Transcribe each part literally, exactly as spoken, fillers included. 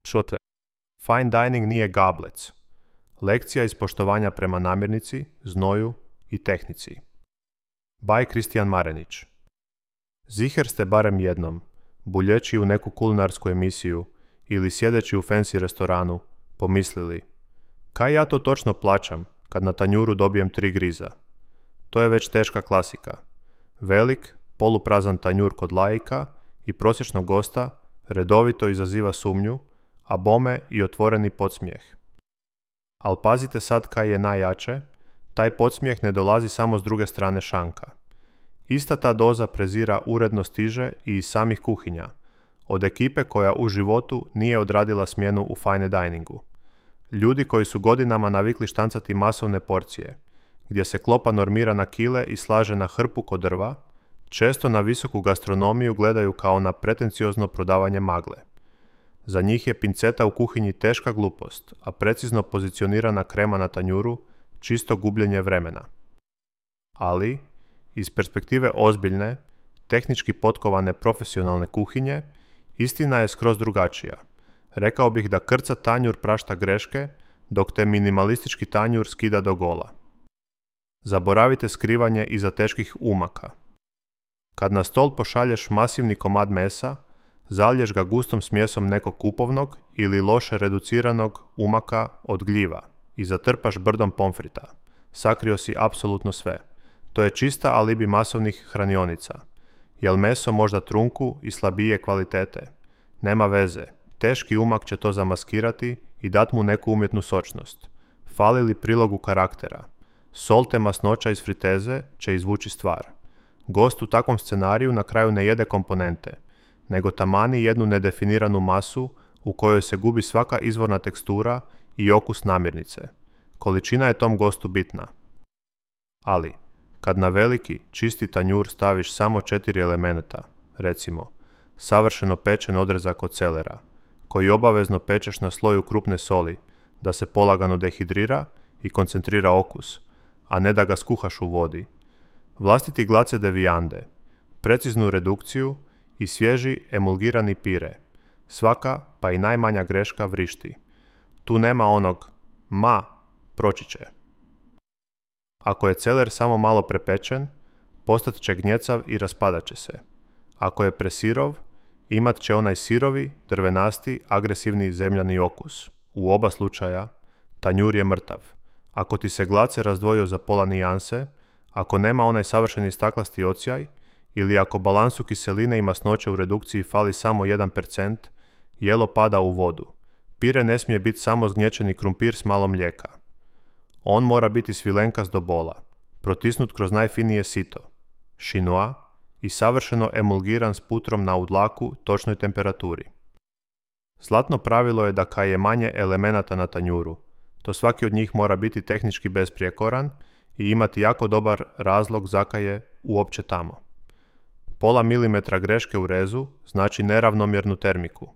Čote. Fine dining nije gablec. Lekcija iz poštovanja prema namirnici, znoju i tehnici. By Kristijan Marenić. Ziher ste barem jednom, buljeći u neku kulinarsku emisiju ili sjedeći u fancy restoranu, pomislili: kaj ja to točno plaćam kad na tanjuru dobijem tri griza? To je već teška klasika. Velik, poluprazan tanjur kod laika i prosječnog gosta redovito izaziva sumnju, a bome i otvoreni podsmijeh. Al pazite sad kaj je najjače, taj podsmijeh ne dolazi samo s druge strane šanka. Ista ta doza prezira uredno stiže i iz samih kuhinja, od ekipe koja u životu nije odradila smjenu u fine diningu. Ljudi koji su godinama navikli štancati masovne porcije, gdje se klopa normira na kile i slaže na hrpu kod drva, često na visoku gastronomiju gledaju kao na pretenciozno prodavanje magle. Za njih je pinceta u kuhinji teška glupost, a precizno pozicionirana krema na tanjuru čisto gubljenje vremena. Ali, iz perspektive ozbiljne, tehnički potkovane profesionalne kuhinje, istina je skroz drugačija. Rekao bih da krca tanjur prašta greške, dok te minimalistički tanjur skida do gola. Zaboravite skrivanje iza teških umaka. Kad na stol pošalješ masivni komad mesa, zaliješ ga gustom smjesom nekog kupovnog ili loše reduciranog umaka od gljiva i zatrpaš brdom pomfrita. Sakrio si apsolutno sve. To je čista alibi masovnih hranionica. Jel meso možda trunku i slabije kvalitete? Nema veze. Teški umak će to zamaskirati i dat mu neku umjetnu sočnost. Fali li prilogu karaktera? Sol te masnoća iz friteze će izvući stvar. Gost u takvom scenariju na kraju ne jede komponente, nego tamani jednu nedefiniranu masu u kojoj se gubi svaka izvorna tekstura i okus namirnice. Količina je tom gostu bitna. Ali, kad na veliki, čisti tanjur staviš samo četiri elementa, recimo, savršeno pečen odrezak od celera, koji obavezno pečeš na sloju krupne soli, da se polagano dehidrira i koncentrira okus, a ne da ga skuhaš u vodi, vlastiti glace de viande, preciznu redukciju i svježi emulgirani pire. Svaka, pa i najmanja greška vrišti. Tu nema onog ma, proći će. Ako je celer samo malo prepečen, postat će gnjecav i raspadat će se. Ako je presirov, imat će onaj sirovi, drvenasti, agresivni zemljani okus. U oba slučaja, tanjur je mrtav. Ako ti se glace razdvojio za pola nijanse, ako nema onaj savršeni staklasti ocijaj, ili ako balansu kiseline i masnoće u redukciji fali samo jedan procent, jelo pada u vodu. Pire ne smije biti samo zgnječeni krumpir s malo mlijeka. On mora biti svilenkas do bola, protisnut kroz najfinije sito, šinoa i savršeno emulgiran s putrom na udlaku točnoj temperaturi. Zlatno pravilo je da kaj je manje elemenata na tanjuru, to svaki od njih mora biti tehnički besprijekoran i imati jako dobar razlog zakaje uopće tamo. Pola milimetra greške u rezu znači neravnomjernu termiku.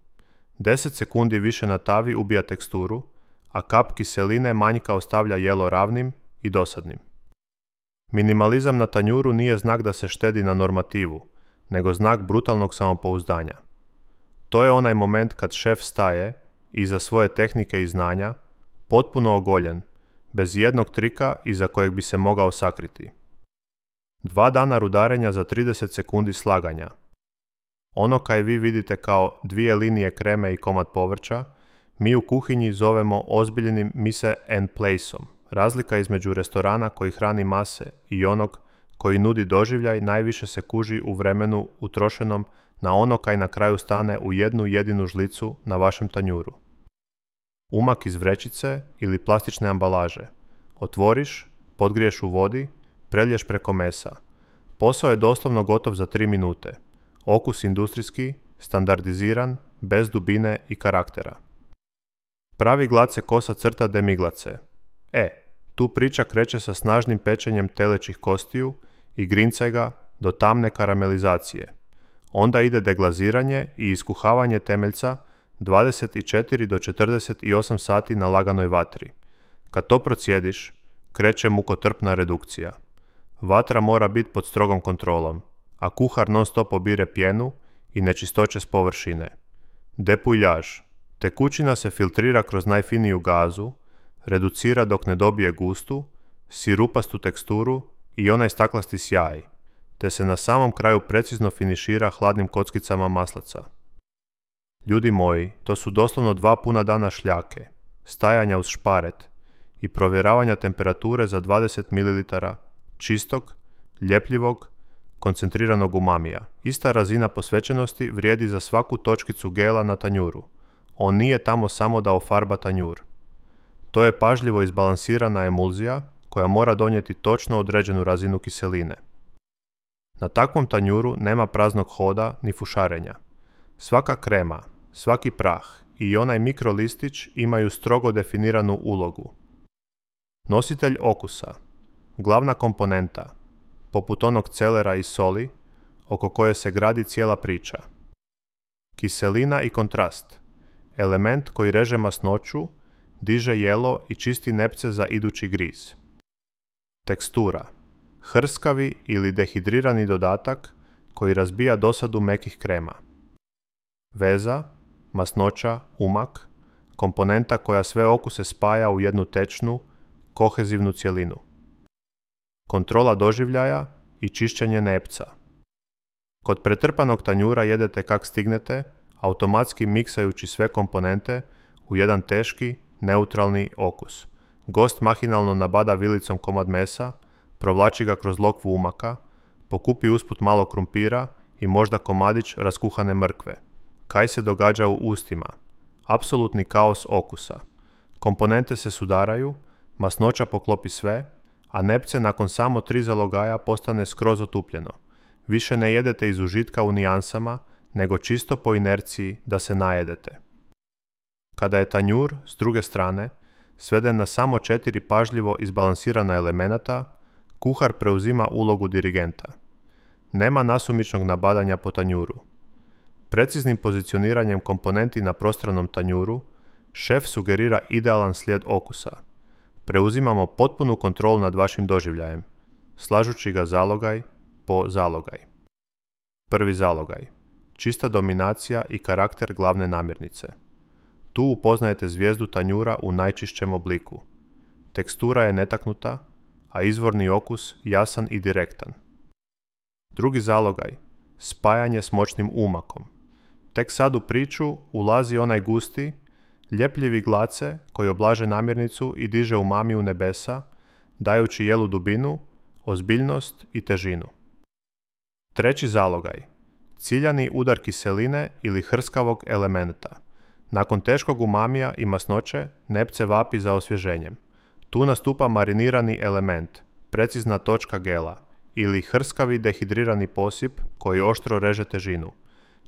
deset sekundi više na tavi ubija teksturu, a kap kiseline manjka ostavlja jelo ravnim i dosadnim. Minimalizam na tanjuru nije znak da se štedi na normativu, nego znak brutalnog samopouzdanja. To je onaj moment kad šef staje, iza svoje tehnike i znanja, potpuno ogoljen, bez jednog trika iza kojeg bi se mogao sakriti. Dva dana rudarenja za trideset sekundi slaganja. Ono kaj vi vidite kao dvije linije kreme i komad povrća, mi u kuhinji zovemo ozbiljnim mise en placeom. Razlika između restorana koji hrani mase i onog koji nudi doživljaj najviše se kuži u vremenu utrošenom na ono kaj na kraju stane u jednu jedinu žlicu na vašem tanjuru. Umak iz vrećice ili plastične ambalaže. Otvoriš, podgriješ u vodi, prelješ preko mesa. Posao je doslovno gotov za tri minute. Okus industrijski, standardiziran, bez dubine i karaktera. Pravi glad se kosa crta demiglace. E, tu priča kreće sa snažnim pečenjem telećih kostiju i grincaj ga do tamne karamelizacije. Onda ide deglaziranje i iskuhavanje temeljca dvadeset četiri do četrdeset osam sati na laganoj vatri. Kad to procijediš, kreće mukotrpna redukcija. Vatra mora biti pod strogom kontrolom, a kuhar non stop obire pjenu i nečistoće s površine. Depuljaž, Tekućina se filtrira kroz najfiniju gazu, reducira dok ne dobije gustu, sirupastu teksturu i onaj staklasti sjaj, te se na samom kraju precizno finišira hladnim kockicama maslaca. Ljudi moji, to su doslovno dva puna dana šljake, stajanja uz šparet i provjeravanja temperature za dvadeset mililitara čistog, ljepljivog, koncentriranog umamija. Ista razina posvećenosti vrijedi za svaku točkicu gela na tanjuru. On nije tamo samo da ofarba tanjur. To je pažljivo izbalansirana emulzija koja mora donijeti točno određenu razinu kiseline. Na takvom tanjuru nema praznog hoda ni fušarenja. Svaka krema, svaki prah i onaj mikrolistić imaju strogo definiranu ulogu. Nositelj okusa, glavna komponenta, poput onog celera i soli, oko koje se gradi cijela priča. Kiselina i kontrast, element koji reže masnoću, diže jelo i čisti nepce za idući griz. Tekstura, hrskavi ili dehidrirani dodatak koji razbija dosadu mekih krema. Veza, masnoća, umak, komponenta koja sve okuse spaja u jednu tečnu, kohezivnu cjelinu. Kontrola doživljaja i čišćenje nepca. Kod pretrpanog tanjura jedete kak stignete, automatski miksajući sve komponente u jedan teški, neutralni okus. Gost mahinalno nabada vilicom komad mesa, provlači ga kroz lokvu umaka, pokupi usput malo krumpira i možda komadić raskuhane mrkve. Kaj se događa u ustima? Apsolutni kaos okusa. Komponente se sudaraju, masnoća poklopi sve, a nepce nakon samo tri zalogaja postane skroz otupljeno. Više ne jedete iz užitka u nijansama, nego čisto po inerciji da se najedete. Kada je tanjur, s druge strane, sveden na samo četiri pažljivo izbalansirana elemenata, kuhar preuzima ulogu dirigenta. Nema nasumičnog nabadanja po tanjuru. Preciznim pozicioniranjem komponenti na prostranom tanjuru, šef sugerira idealan slijed okusa. Preuzimamo potpunu kontrolu nad vašim doživljajem, slažući ga zalogaj po zalogaj. Prvi zalogaj. Čista dominacija i karakter glavne namirnice. Tu upoznajete zvijezdu tanjura u najčišćem obliku. Tekstura je netaknuta, a izvorni okus jasan i direktan. Drugi zalogaj. Spajanje s moćnim umakom. Tek sad u priču ulazi onaj gusti, ljepljivi glace koji oblaže namirnicu i diže umami u nebesa, dajući jelu dubinu, ozbiljnost i težinu. Treći zalogaj. Ciljani udar kiseline ili hrskavog elementa. Nakon teškog umamija i masnoće, nepce vapi za osvježenjem. Tu nastupa marinirani element, precizna točka gela, ili hrskavi dehidrirani posip koji oštro reže težinu.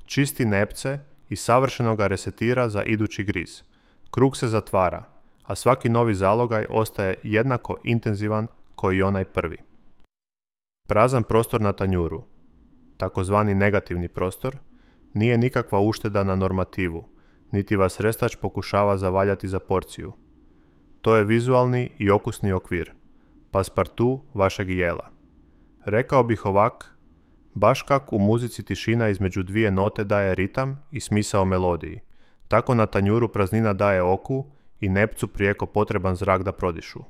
Čisti nepce i savršeno ga resetira za idući griz. Krug se zatvara, a svaki novi zalogaj ostaje jednako intenzivan koji i onaj prvi. Prazan prostor na tanjuru, takozvani negativni prostor, nije nikakva ušteda na normativu, niti vas restač pokušava zavaljati za porciju. To je vizualni i okusni okvir, paspartu vašeg jela. Rekao bih ovak, baš kak u muzici tišina između dvije note daje ritam i smisao melodiji, tako na tanjuru praznina daje oku i nepcu prijeko potreban zrak da prodišu.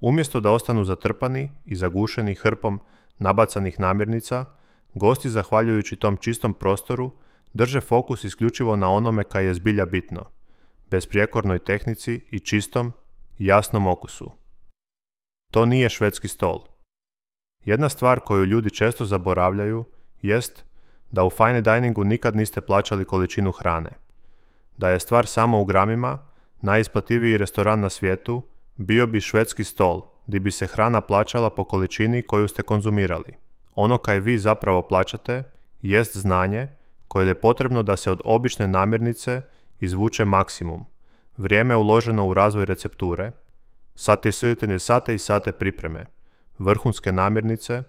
Umjesto da ostanu zatrpani i zagušeni hrpom nabacanih namirnica, gosti zahvaljujući tom čistom prostoru drže fokus isključivo na onome kaj je zbilja bitno, besprijekornoj tehnici i čistom, jasnom okusu. To nije švedski stol. Jedna stvar koju ljudi često zaboravljaju jest da u fine diningu nikad niste plaćali količinu hrane. Da je stvar samo u gramima, najisplativiji restoran na svijetu bio bi švedski stol, gdje bi se hrana plaćala po količini koju ste konzumirali. Ono kaj vi zapravo plaćate jest znanje koje je potrebno da se od obične namirnice izvuče maksimum. Vrijeme uloženo u razvoj recepture, sate i sate i sate pripreme, vrhunske namirnice,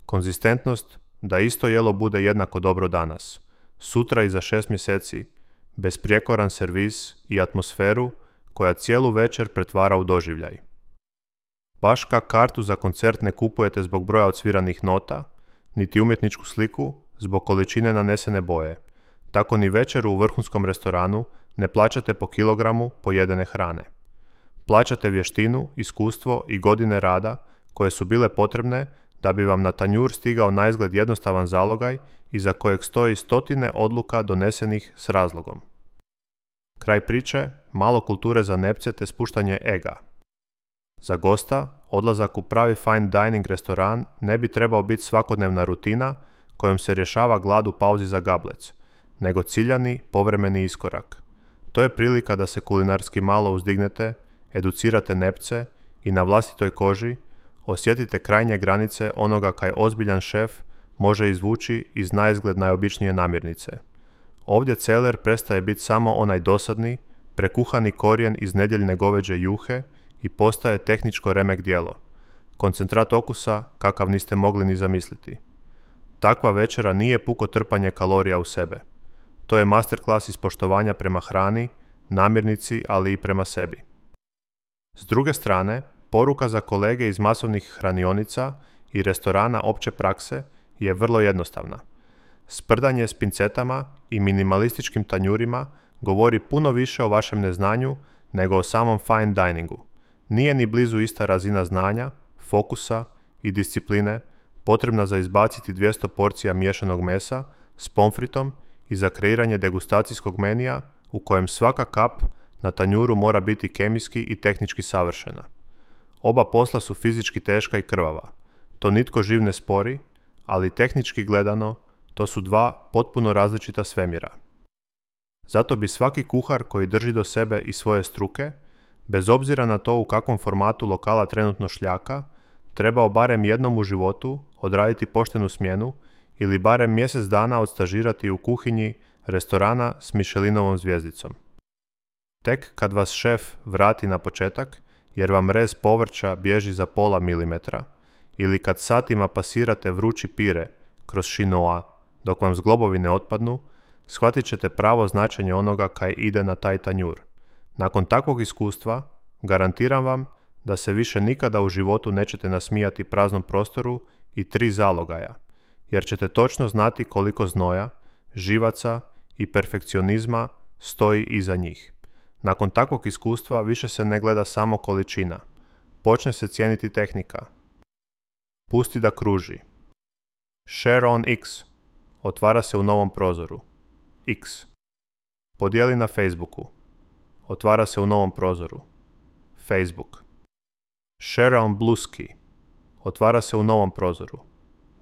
konzistentnost da isto jelo bude jednako dobro danas, sutra i za šest mjeseci, besprijekoran servis i atmosferu koja cijelu večer pretvara u doživljaj. Baš kak kartu za koncert ne kupujete zbog broja odsviranih nota, niti umjetničku sliku zbog količine nanesene boje. Tako ni večeru u vrhunskom restoranu ne plaćate po kilogramu pojedene hrane. Plaćate vještinu, iskustvo i godine rada koje su bile potrebne da bi vam na tanjur stigao naizgled jednostavan zalogaj iza kojeg stoji stotine odluka donesenih s razlogom. Kraj priče, malo kulture za nepce te spuštanje ega. Za gosta, odlazak u pravi fine dining restoran ne bi trebao biti svakodnevna rutina kojom se rješava glad u pauzi za gablec, nego ciljani, povremeni iskorak. To je prilika da se kulinarski malo uzdignete, educirate nepce i na vlastitoj koži osjetite krajnje granice onoga kaj ozbiljan šef može izvući iz naizgled najobičnije namirnice. Ovdje celer prestaje biti samo onaj dosadni, prekuhani korijen iz nedjeljne goveđe juhe i postaje tehničko remek djelo. Koncentrat okusa kakav niste mogli ni zamisliti. Takva večera nije puko trpanje kalorija u sebe. To je masterclass iz poštovanja prema hrani, namirnici, ali i prema sebi. S druge strane, poruka za kolege iz masovnih hranionica i restorana opće prakse je vrlo jednostavna. Sprdanje s pincetama i minimalističkim tanjurima govori puno više o vašem neznanju nego o samom fine diningu. Nije ni blizu ista razina znanja, fokusa i discipline potrebna za izbaciti dvjesto porcija miješanog mesa s pomfritom i za kreiranje degustacijskog menija u kojem svaka kap na tanjuru mora biti kemijski i tehnički savršena. Oba posla su fizički teška i krvava. To nitko živ ne spori, ali tehnički gledano to su dva potpuno različita svemira. Zato bi svaki kuhar koji drži do sebe i svoje struke, bez obzira na to u kakvom formatu lokala trenutno šljaka, trebao barem jednom u životu odraditi poštenu smjenu ili barem mjesec dana odstažirati u kuhinji restorana s Michelinovom zvijezdicom. Tek kad vas šef vrati na početak, jer vam rez povrća bježi za pola milimetra, ili kad satima pasirate vrući pire kroz šinoa dok vam zglobovi ne otpadnu, shvatit ćete pravo značenje onoga kaj ide na taj tanjur. Nakon takvog iskustva, garantiram vam da se više nikada u životu nećete nasmijati praznom prostoru i tri zalogaja, jer ćete točno znati koliko znoja, živaca i perfekcionizma stoji iza njih. Nakon takvog iskustva više se ne gleda samo količina. Počne se cijeniti tehnika. Pusti da kruži. Share on X. Otvara se u novom prozoru. X. Podijeli na Facebooku. Otvara se u novom prozoru. Facebook. Share on Bluesky. Otvara se u novom prozoru.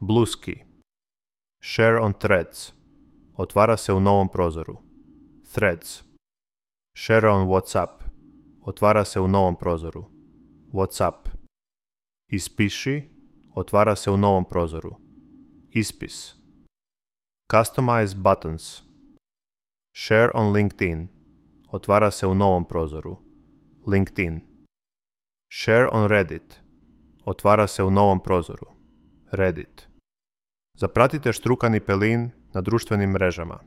Bluesky. Share on Threads. Otvara se u novom prozoru. Threads. Share on WhatsApp. Otvara se u novom prozoru. WhatsApp. Ispiši. Otvara se u novom prozoru. Ispis. Customize buttons. Share on LinkedIn. Otvara se u novom prozoru. LinkedIn. Share on Reddit. Otvara se u novom prozoru. Reddit. Zapratite štrukani pelin na društvenim mrežama.